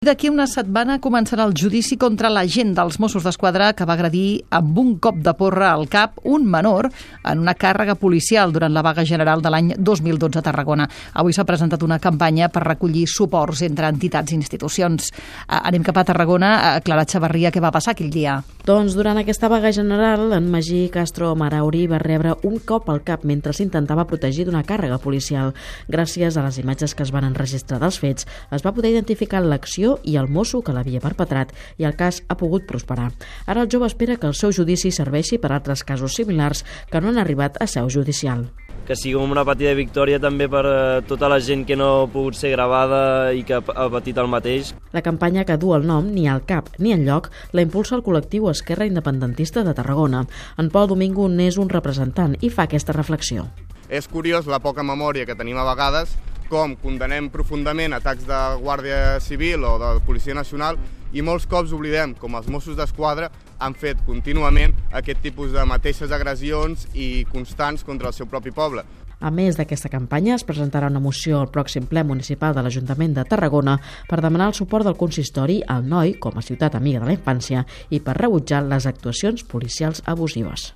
D'aquí una setmana començarà el judici contra l'agent dels Mossos d'Esquadra que va agredir amb un cop de porra al cap un menor en una càrrega policial durant la vaga general de l'any 2012 a Tarragona. Avui s'ha presentat una campanya per recollir suports entre entitats i institucions. Anem cap a Tarragona. Clara Xavarria, què va passar aquell dia? Doncs durant aquesta vaga general, en Magí Castro Marauri va rebre un cop al cap mentre s'intentava protegir d'una càrrega policial. Gràcies a les imatges que es van enregistrar dels fets, es va poder identificar l'acció i el mosso que l'havia perpetrat i el cas ha pogut prosperar. Ara el jove espera que el seu judici serveixi per altres casos similars que no han arribat a seu judicial. Que sigui una petita victòria també per tota la gent que no ha pogut ser gravada i que ha patit el mateix. La campanya, que du el nom Ni al cap ni enlloc, la impulsa el col·lectiu Esquerra Independentista de Tarragona. En Pol Domingo n'és un representant i fa aquesta reflexió. És curiós la poca memòria que tenim a vegades, com condenem profundament atacs de Guàrdia Civil o de Policia Nacional i molts cops oblidem com els Mossos d'Esquadra han fet contínuament aquest tipus de mateixes agressions i constants contra el seu propi poble. A més d'aquesta campanya, es presentarà una moció al pròxim ple municipal de l'Ajuntament de Tarragona per demanar el suport del consistori al Noi com a ciutat amiga de la infància i per rebutjar les actuacions policials abusives.